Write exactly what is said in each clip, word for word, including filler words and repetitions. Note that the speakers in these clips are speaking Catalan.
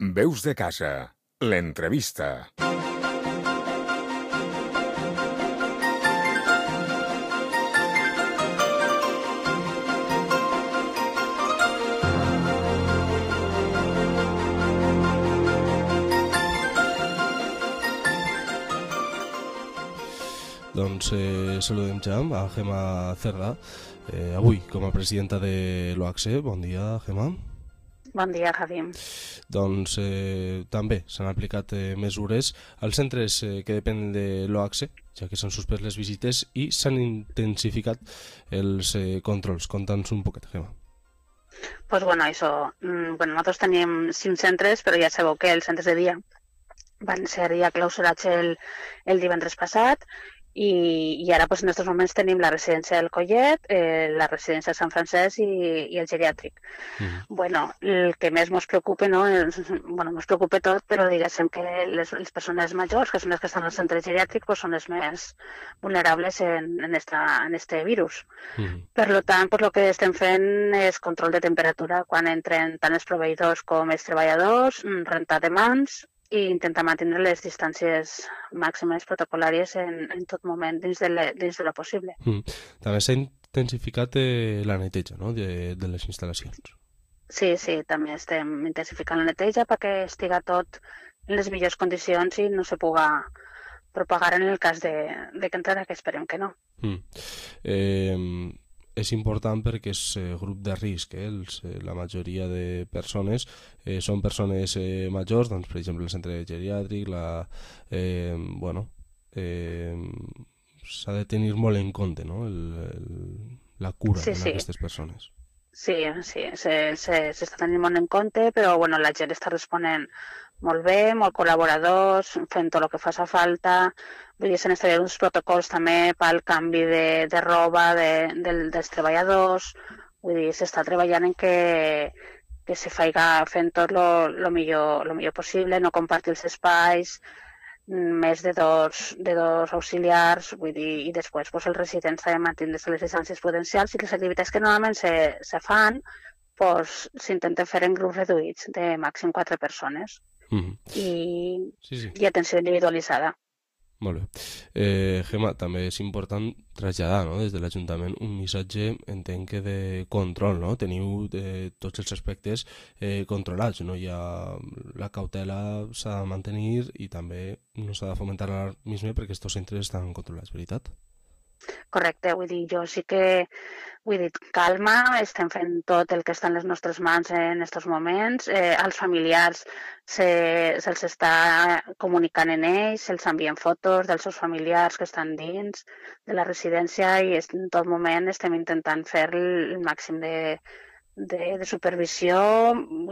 Veus de casa, l'entrevista. Doncs eh, saludem ja a Gemma Cerdà, eh, avui com a presidenta de l'O A C S E. Bon dia, Gemma. Bon dia, Javi. Doncs eh, també s'han aplicat eh, mesures als centres eh, que depenen de l'O A C S E, ja que s'han suspès les visites i s'han intensificat els eh, controls. Conta'ns un poquet, Gemma. Pues bueno, això, mm, bueno, nosaltres tenim cinc centres, però ja sabeu que els centres de dia van ser ja clausurats el, el divendres passat. I, i ara pues, en aquests moments tenim la residència del Collet, eh, la residència de Sant Francesc i, i el geriàtric. Mm. Bueno, el que més ens preocupa, no? És, bueno, ens preocupa tot, però diguéssim que les, les persones majors, que són les que estan al centre geriàtric, pues, són les més vulnerables en, en, esta, en este virus. Mm. Per tant, pues, el que estem fent és control de temperatura quan entren tant els proveïdors com els treballadors, rentar de mans, i intentar mantenir les distàncies màximes protocolàries en, en tot moment dins de, le, dins de lo possible. Mm. També s'ha intensificat eh, la neteja, no?, de, de les instal·lacions. Sí, sí, també estem intensificant la neteja perquè estiga tot en les millors condicions i no se puga propagar en el cas de, de que entrarà, que esperem que no. Mm. Eh... És important perquè és eh, grup de risc, eh? Els, eh, la majoria de persones eh, són persones eh, majors, doncs, per exemple el centre geriàtric, la, eh, bueno, eh, s'ha de tenir molt en compte, no?, el, el, la cura sí, sí. d'aquestes persones. Sí, sí, s'està se, se tenint molt en compte, però bueno, la gent està responent molt bé, molt col·laboradors, fent tot el que faci falta. Vull dir, s'han establert uns protocols també pel canvi de, de roba de, de, dels treballadors. Vull dir, s'està treballant en que, que se faiga fent tot el millor, lo millor possible, no compartir els espais, més de dos, de dos auxiliars, vull dir, i després pues, els residents també mantindre les distàncies prudencials i les activitats que normalment se, se fan pues, s'intenten fer en grups reduïts de màxim quatre persones. Mm-hmm. I, sí, sí. I atenció individualitzada. Molt bé. Eh, Gemma, també és important traslladar, no?, des de l'Ajuntament un missatge, entenc que de control, no? Teniu eh, tots els aspectes eh, controlats, no? Hi ha la cautela s'ha de mantenir i també no s'ha de fomentar l'alarmisme perquè aquests centres estan controlats, veritat? Correcte, vull dir, jo sí que vull dir, calma, estem fent tot el que està en les nostres mans en aquests moments, eh, als familiars se'ls se està comunicant en ells, se'ls envien fotos dels seus familiars que estan dins de la residència i en tot moment estem intentant fer el màxim de, de, de supervisió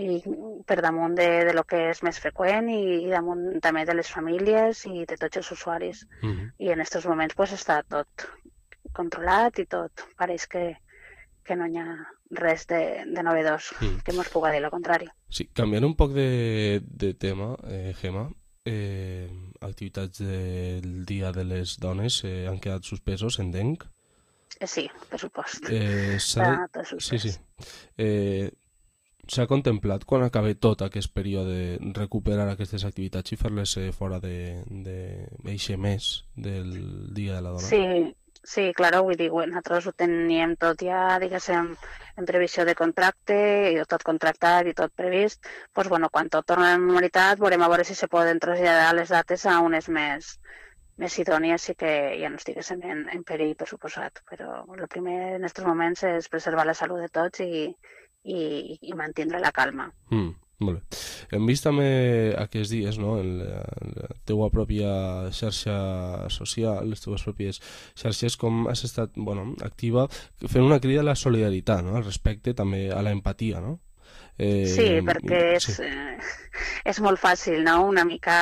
i per damunt de, de lo que és més freqüent i, i damunt també de les famílies i de tots els usuaris. Mm-hmm. I en aquests moments pues, està tot controlat i tot. Pareix que, que no hi ha res de, de novedós mm. que ens pugui dir el contrari. Sí, canviant un poc de, de tema, eh, Gemma, eh, activitats del Dia de les Dones eh, han quedat suspesos, entenc? Eh, sí, per supost. Eh, sí, sí. Eh, S'ha contemplat quan acabi tot aquest període recuperar aquestes activitats i fer-les eh, fora d'eixe mes del Dia de la Dona? Sí, sí, clar, vull dir, nosaltres ho teníem tot ja, diguéssim, en previsió de contracte, i tot contractat i tot previst. Doncs, bueno, quan tot torna a la normalitat, veurem a veure si se poden traslladar les dates a unes més, més idònies i que ja no estiguéssim en, en perill, per suposat. Però el primer en aquests moments és preservar la salut de tots i I, i mantindre la calma. Mm, molt bé. Hem vist també aquests dies, no?, en la, en la teua pròpia xarxa social, les teues pròpies xarxes, com has estat, bueno, activa fent una crida a la solidaritat, no?, al respecte, també a l'empatia, no? Eh, sí, perquè és, sí. Eh, és molt fàcil, no?, una mica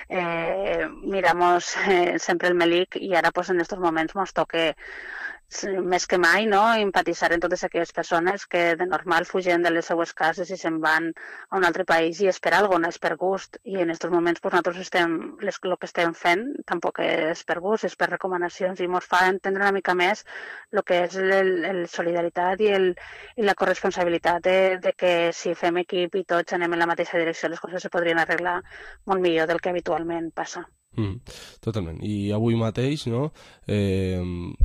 eh, miramos eh, sempre el melic i ara pues, en aquests moments ens toca més que mai, no? Empatitzar en totes aquelles persones que de normal fugen de les seues cases i se'n van a un altre país i és per alguna cosa, és per gust. I en aquests moments pues, nosaltres estem, les, el que estem fent tampoc és per gust, és per recomanacions i ens fa entendre una mica més el que és la solidaritat i, el, i la corresponsabilitat de, de que si fem equip i tots anem en la mateixa direcció les coses se podrien arreglar molt millor del que habitualment passa. Mm, totalment. I avui mateix no, eh,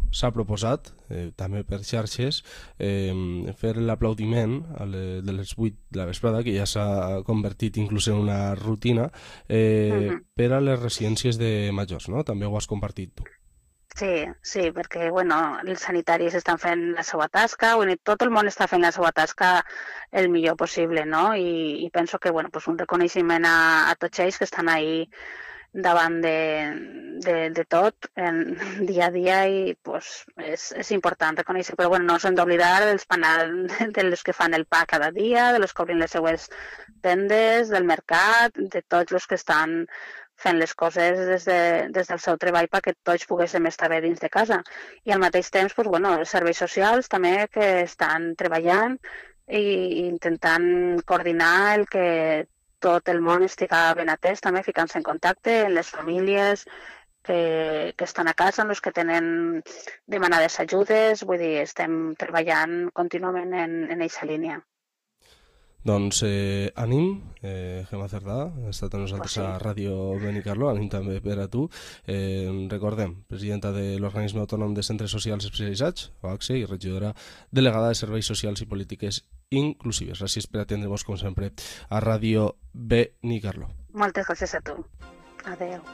s'ha proposat, eh, també per xarxes, eh, fer l'aplaudiment de les vuit de la vesprada, que ja s'ha convertit inclús en una rutina, eh, uh-huh. per a les residències de majors, no? També ho has compartit tu. Sí, sí, perquè bueno, els sanitaris estan fent la seva tasca, bueno, tot el món està fent la seva tasca el millor possible, no? I, i penso que bueno, pues un reconeixement a, a tots ells que estan ahí davant de, de, de tot en dia a dia i pues, és, és important reconèixer, però bueno, no s'hem d'oblidar dels panels de los que fan el pa cada dia, de los que obrin les seues tendes, del mercat, de tots els que estan fent les coses des, de, des del seu treball perquè tots poguéssim estar bé dins de casa. I al mateix temps, pues, bueno, els serveis socials també que estan treballant i intentant coordinar el que tot el món estiga ben atès, també ficant-se en contacte amb les famílies que, que estan a casa, amb els que tenen demanades ajudes, vull dir, estem treballant contínuament en, en aquesta línia. Doncs eh, ànim, eh, Gemma Cerdà, ha estat amb nosaltres oh, sí. a Ràdio Benicarló, ànim també per a tu. Eh, recordem, presidenta de l'Organisme Autònom de Centres Socials Especialitzats, O A C S E, i regidora delegada de Serveis Socials i Polítiques Inclusives. Gràcies per atendre-nos, com sempre, a Ràdio Benicarló. Moltes gràcies a tu. Adéu.